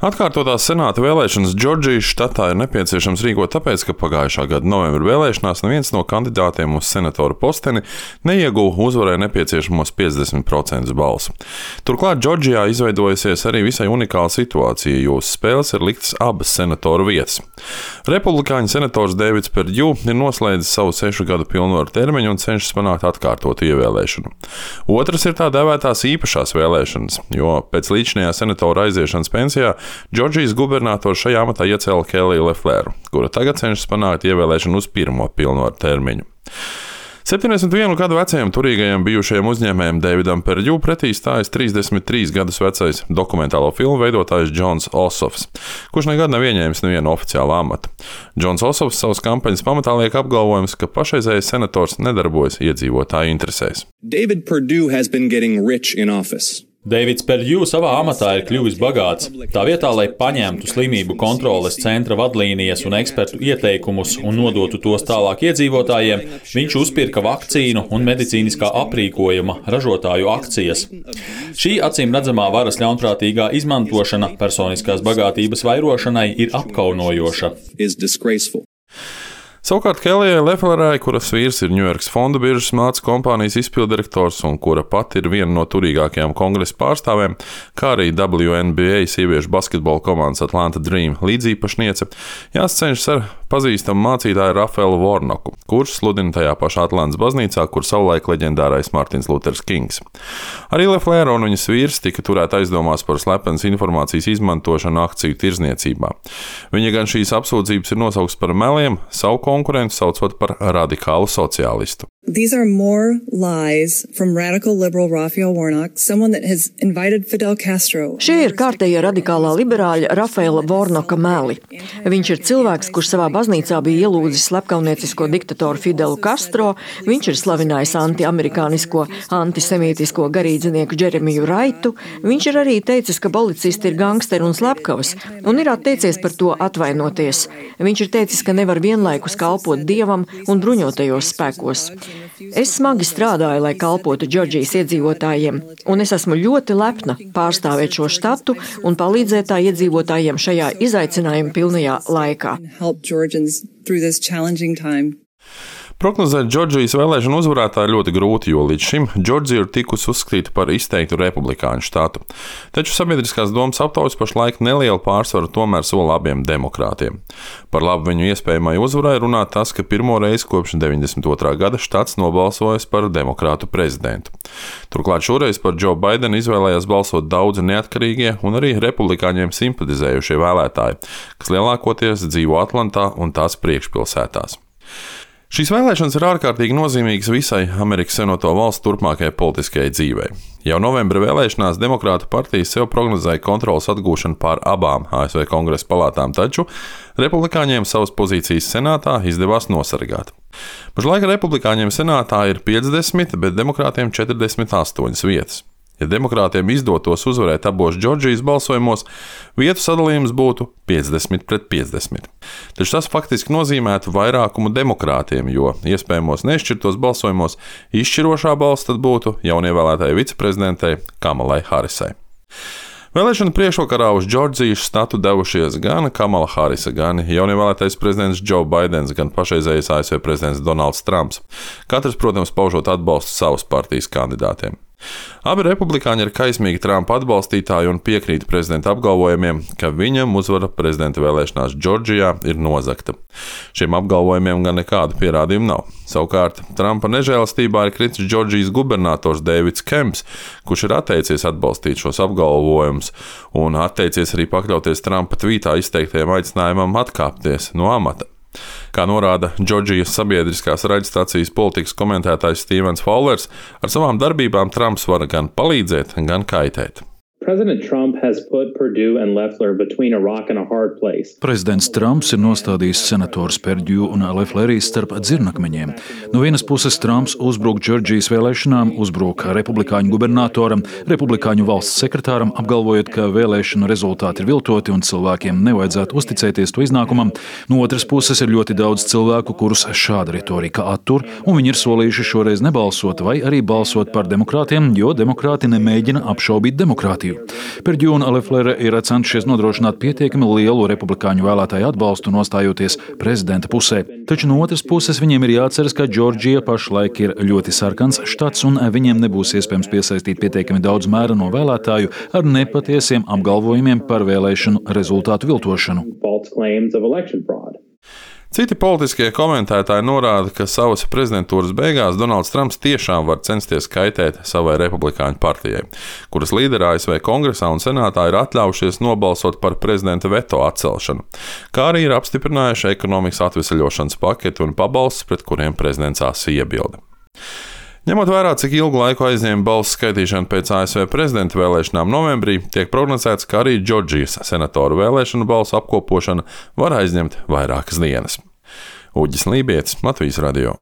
Atkārtotās senāta vēlēšanas Džordžijas štatā ir nepieciešams rīkot tāpēc, ka pagājušā gada novembra vēlēšanās neviens no kandidātiem uz senatora posteni neieguva uzvarai nepieciešamos 50% balsu. Turklāt Džordžijā izveidojusies arī visai unikāla situācija, jo uz spēles ir liktas abas senatoru vietas. Republikāņu senators Davids Perdue ir noslēdzis savu 6 gadu pilnvaru termiņu un cenšas panākt atkārtotu ievēlēšanu. Otrs ir tā dēvētās īpašās vēlēšanas, jo pēc līdzinājā senatora aiziešanas pensijā Džordžijas gubernators šajā amatā iecēla Kelliju Lefleru, kura tagad cenšas panākt ievēlēšanu uz pirmo pilnvaru termiņu. 71 gadu vecajam turīgajam bijušajam uzņēmējam Davidam Perdue pretī stājas 33 gadus vecais dokumentālo filmu veidotājs Džons Osofs, kurš nekad nav ieņēmis nevienu oficiālu amatu. Džons Osofs savas kampaņas pamatā liek apgalvojums, ka pašreizējais senators nedarbojas iedzīvotāju interesēs. David Perdue has been getting rich in office. Davids Perdue savā amatā ir kļuvis bagāts. Tā vietā, lai paņemtu slimību kontroles centra vadlīnijas un ekspertu ieteikumus un nodotu tos tālāk iedzīvotājiem, viņš uzpirka vakcīnu un medicīniskā aprīkojuma ražotāju akcijas. Šī acīm redzamā varas ļaunprātīgā izmantošana personiskās bagātības vairošanai ir apkaunojoša. Savukārt Kellijai Leflerai, kuras vīrs ir Ņujorkas fondu biržas mācu kompānijas izpildirektors un kura pati ir viena no turīgākajām kongresa pārstāvēm, kā arī WNBA sieviešu basketbola komandas Atlanta Dream līdzīpašniece, jāscenšas ar pazīstamu mācītāju Rafaelu Warnoku, kurš sludina tajā pašā Atlantas baznīcā, kur savulaik leģendārais Martins Luthers Kings. Arī Leflera un viņas vīrs tika turēti aizdomās par slepenas informācijas izmantošanu akciju tirzniecībā. Viņa gan šīs apsūdzības ir nosaukts par meliem, savu konkurentu saucot par radikālu sociālistu. These are more lies from radical liberal Raphael Warnock, someone that has invited Fidel Castro. Šie ir kārtējie radikālā liberāļa Rafaela Warnocka meli. Viņš ir cilvēks, kurš savā baznīcā bija ielūdzis slepkauniecisko diktatoru Fidelu Castro, viņš ir slavinājis antiamerikānisko, antisemītisko garīdzinieku Džeremiju Raitu, viņš ir arī teicis, ka policisti ir gangsteri un slepkavas, un ir atteicies par to atvainoties. Viņš ir teicis, ka nevar vienlaikus kalpot Dievam un bruņotajos spēkos. Es smagi strādāju, lai kalpotu Džordžijas iedzīvotājiem, un es esmu ļoti lepna pārstāvēt šo štatu un palīdzēt tā iedzīvotājiem šajā izaicinājuma pilnajā laikā. Prognozēt Džordžijas vēlēšanu uzvarētāju ir ļoti grūti, jo līdz šim Džordžija ir tikusi uzskatīta par izteiktu republikāņu štatu. Taču sabiedriskās domas aptaujas pašlaik nelielu pārsvaru tomēr sola abiem demokrātiem. Par labu viņu iespējamai uzvarai runā tas, ka pirmo reizi kopš 92. gada štats nobalsojas par demokrātu prezidentu. Turklāt šoreiz par Joe Bidenu izvēlējās balsot daudzi neatkarīgie un arī republikāņiem simpatizējušie vēlētāji, kas lielākoties dzīvo Atlantā un tās priekšpilsētās. Šīs vēlēšanas ir ārkārtīgi nozīmīgas visai Amerikas Savienoto Valstu turpmākajai politiskajai dzīvei. Jau novembra vēlēšanās Demokrātu partija sev prognozēja kontroles atgūšanu pār abām ASV kongresa palātām, taču republikāņiem savas pozīcijas senātā izdevās nosargāt. Pašlaik republikāņiem senātā ir 50, bet demokrātiem 48 vietas. Ja demokrātiem izdotos uzvarēt abos Džordžijas balsojumos, vietu sadalījums būtu 50-50. Taču tas faktiski nozīmētu vairākumu demokrātiem, jo iespējamos nešķirtos balsojumos izšķirošā balss tad būtu jaunievēlētajai viceprezidentei Kamalai Harisai. Vēlēšanu priekšvakarā uz Džordžijas štatu devušies gan Kamala Harisa, gan jaunievēlētais prezidents Joe Bidens, gan pašreizējais ASV prezidents Donalds Trumps. Katrs, protams, paužot atbalstu savas partijas kandidātiem. Abi republikāņi ir kaismīgi Trumpa atbalstītāji un piekrīt prezidenta apgalvojumiem, ka viņam uzvara prezidenta vēlēšanās Džordžijā ir nozagta. Šiem apgalvojumiem gan nekādu pierādījumu nav. Savukārt, Trumpa nežēlastībā ir kritis Džordžijas gubernators Deivids Kemps, kurš ir atteicies atbalstīt šos apgalvojumus un atteicies arī pakļauties Trumpa tvītā izteiktajam aicinājumam atkāpties no amata. Kā norāda Džordžijas sabiedriskās raidstacijas politikas komentētājs Stevens Fowlers, ar savām darbībām Trumps var gan palīdzēt, gan kaitēt. Prezidents Trumps ir nostādījis senators Perdue un Lefleru starp dzirnakmeņiem. No vienas puses Trumps uzbruk Džordžijas vēlēšanām, uzbruk republikāņu gubernatoram, republikāņu valsts sekretāram, apgalvojot, ka vēlēšanu rezultāti ir viltoti un cilvēkiem nevajadzētu uzticēties to iznākumam. No otras puses ir ļoti daudz cilvēku, kurus šāda retorika attur, un viņi ir solījuši šoreiz nebalsot vai arī balsot par demokrātiem, jo demokrāti nemēģina apšaubīt demokrātiju. partiju. Perdju un Leflere ir centušies nodrošināt pietiekami lielu republikāņu vēlētāju atbalstu, nostājoties prezidenta pusē. Taču no otras puses viņiem ir jāatceras, ka Džordžija pašlaik ir ļoti sarkans štats un viņiem nebūs iespējams piesaistīt pietiekami daudz mēra no vēlētāju ar nepatiesiem apgalvojumiem par vēlēšanu rezultātu viltošanu. Citi politiskie komentētāji norāda, ka savas prezidentūras beigās Donalds Trumps tiešām var censties kaitēt savai republikāņu partijai, kuras līderi ASV Kongresā un Senātā ir atļaujušies nobalsot par prezidenta veto atcelšanu, kā arī ir apstiprinājuši ekonomikas atveseļošanas paketi un pabalstus, pret kuriem prezidents asi iebilda. Ņemot vērā, cik ilgu laiku aizņēma balsu skaitīšana pēc ASV prezidenta vēlēšanām novembrī, tiek prognozēts, ka arī Džordžijas senatoru vēlēšanu balsu apkopošana var aizņemt vairākas dienas. Uģis Lībietis, Latvijas radio.